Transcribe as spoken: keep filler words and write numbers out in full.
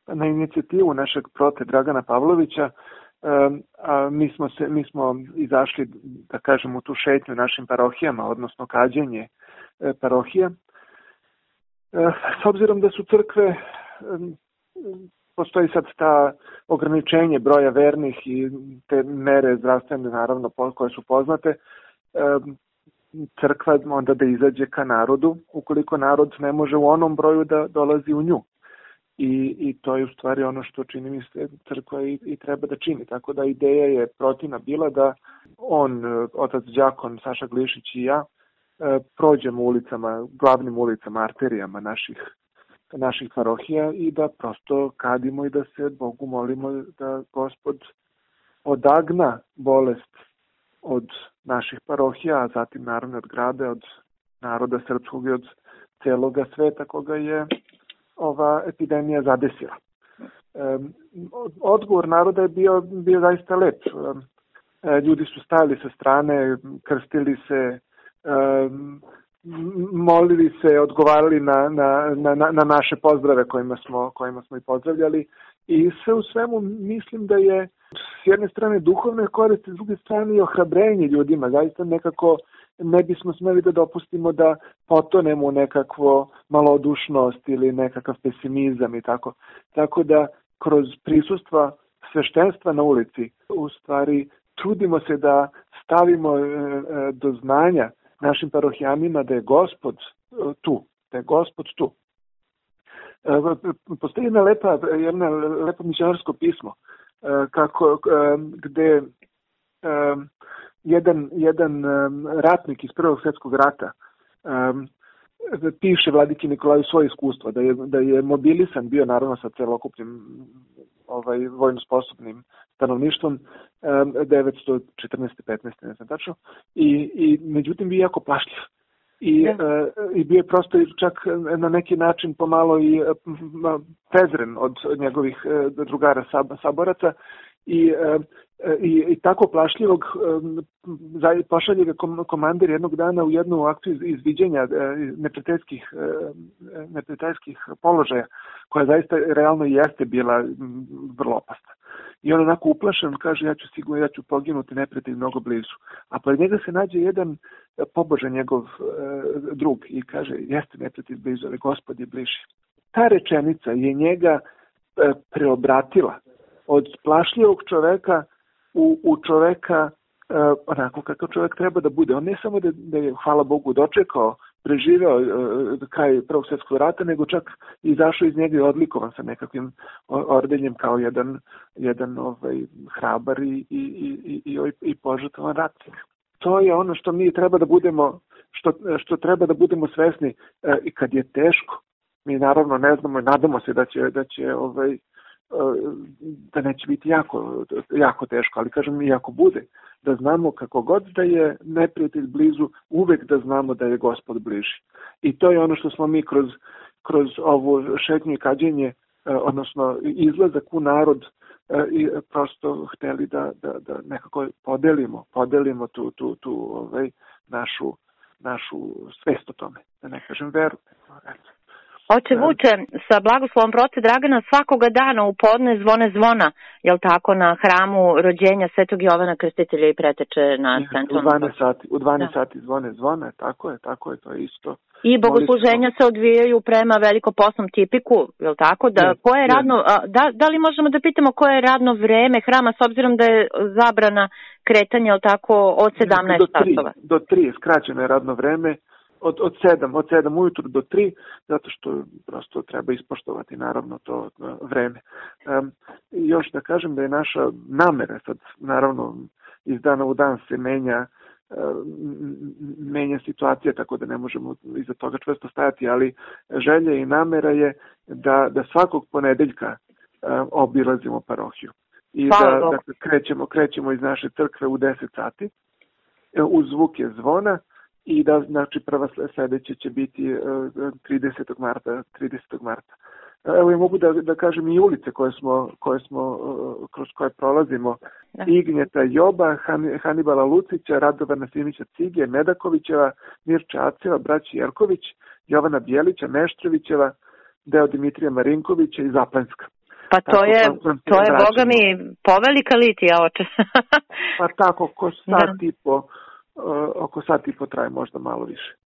na inicijativu našeg prote Dragana Pavlovića, a mi smo, se, mi smo izašli, da kažem, u tu šetnju našim parohijama, odnosno kađenje parohija. S obzirom da su crkve, postoji sad ta ograničenje broja vernih i te mere zdravstvene, naravno, koje su poznate, crkva onda da izađe ka narodu, ukoliko narod ne može u onom broju da dolazi u nju. I, i to je u stvari ono što čini mi se crkva i, i treba da čini. Tako da ideja je protivna bila da on, otac đakon Saša Glišić i ja, prođemo ulicama, glavnim ulicama, arterijama naših, naših parohija i da prosto kadimo i da se Bogu molimo da Gospod odagna bolest od naših parohija, a zatim naravno od grada, od naroda srpskog i od celoga sveta koga je ova epidemija zadesila. Odgovor naroda je bio, bio zaista lep. Ljudi su stajali sa strane, krstili se, molili se, odgovarali na, na, na, na naše pozdrave kojima smo, kojima smo i pozdravljali. I sve u svemu mislim da je s jedne strane duhovne koriste, s druge strane i ohrabrenje ljudima. Zaista nekako ne bismo smeli da dopustimo da potonemo u nekakvo malodušnost ili nekakav pesimizam i tako. Tako da kroz prisustva sveštenstva na ulici u stvari trudimo se da stavimo do znanja našim parohijanima da je Gospod tu, da je Gospod tu. Postoji jedna lepa, jedna lepo misionarsko pismo kako, gde jedan, jedan ratnik iz Prvog svjetskog rata piše vladiki Nikolaju svoje iskustvo, da je, da je mobilisan bio naravno sa celokupnim ovaj, vojno sposobnim stanovništvom devetsto četrnaeste petnaeste ne znam tačno, i, i međutim bio jako plašljiv. I, e, i bio je prosto čak na neki način pomalo i prezren od njegovih e, drugara sab, saboraca i, e, i, i tako plašljivog e, pošalje ga komandir jednog dana u jednu akciju izviđenja e, neprijateljskih, e, neprijateljskih položaja koja zaista realno jeste bila vrlo opasna. I on onako uplašen kaže ja ću sigurno, ja ću poginuti, neprijatelj mnogo blizu. A pored njega se nađe jedan pobožan njegov e, drug i kaže jeste neprijatelj blizu, ali Gospod je bliži. Ta rečenica je njega e, preobratila od plašljivog čoveka u, u čoveka e, onako kakav čovek treba da bude. On ne samo da, da je, hvala Bogu, dočekao, preživeo e, kraj Prvog svjetskog rata, nego čak izašao iz njega i odlikovan sa nekakvim ordenjem kao jedan, jedan ovaj, hrabar i, i, i, i, i požrtvovan ratnik. To je ono što mi treba da budemo, što, što treba da budemo svesni e, i kad je teško. Mi naravno ne znamo i nadamo se da će, da će ovaj, da neće biti jako, jako teško, ali kažem i ako bude, da znamo kako god da je neprijatelj blizu, uvek da znamo da je Gospod bliži. I to je ono što smo mi kroz, kroz ovo šetnje i kađenje, odnosno izlazak u narod, i prosto hteli da, da, da nekako podelimo, podelimo tu, tu, tu ovaj, našu, našu svest o tome, da ne kažem veru. Oče Vuče, sa blagoslovom prote Dragana svakoga dana u podne zvone zvona, jel tako, na hramu rođenja Svetog Jovana Krstitelja i preteče na centralnom. U dvanaest sati, u dvanaest sati zvone zvone, tako je, tako je, to je isto. I bogosluženja se odvijaju prema velikoposnom tipiku, jel tako? Da, je, koje je radno, da, da li možemo da pitamo koje je radno vreme hrama, s obzirom da je zabrana kretanja, jel tako, od sedamnaest časova? Do tri, skraćeno je radno vreme. Od, od sedam, od sedam ujutru do tri, zato što prosto treba ispoštovati naravno to vreme. Um, još da kažem da je naša namera, sad naravno iz dana u dan se menja, um, menja situacija, tako da ne možemo iza toga čvrsto stajati, ali želja i namera je da, da svakog ponedeljka um, obilazimo parohiju. I Hvala da, da krećemo, krećemo iz naše crkve u deset sati, uz zvuke zvona. I da, znači, prva sledeća će biti tridesetog marta. tridesetog marta. Evo i mogu da, da kažem i ulice koje smo, koje smo, kroz koje prolazimo. Da. Ignjeta Joba, Han, Hanibala Lucića, Radovana Simića Cige, Medakovićeva, Mirča Aceva, braći Jerković, Jovana Bjelića, Meštrovićeva, deo Dimitrija Marinkovića i Zaplenska. Pa to tako, je, to je, boga mi, povelika litija, oče. Pa tako, oko sat, da. i po, uh, oko sat i po traje, možda malo više.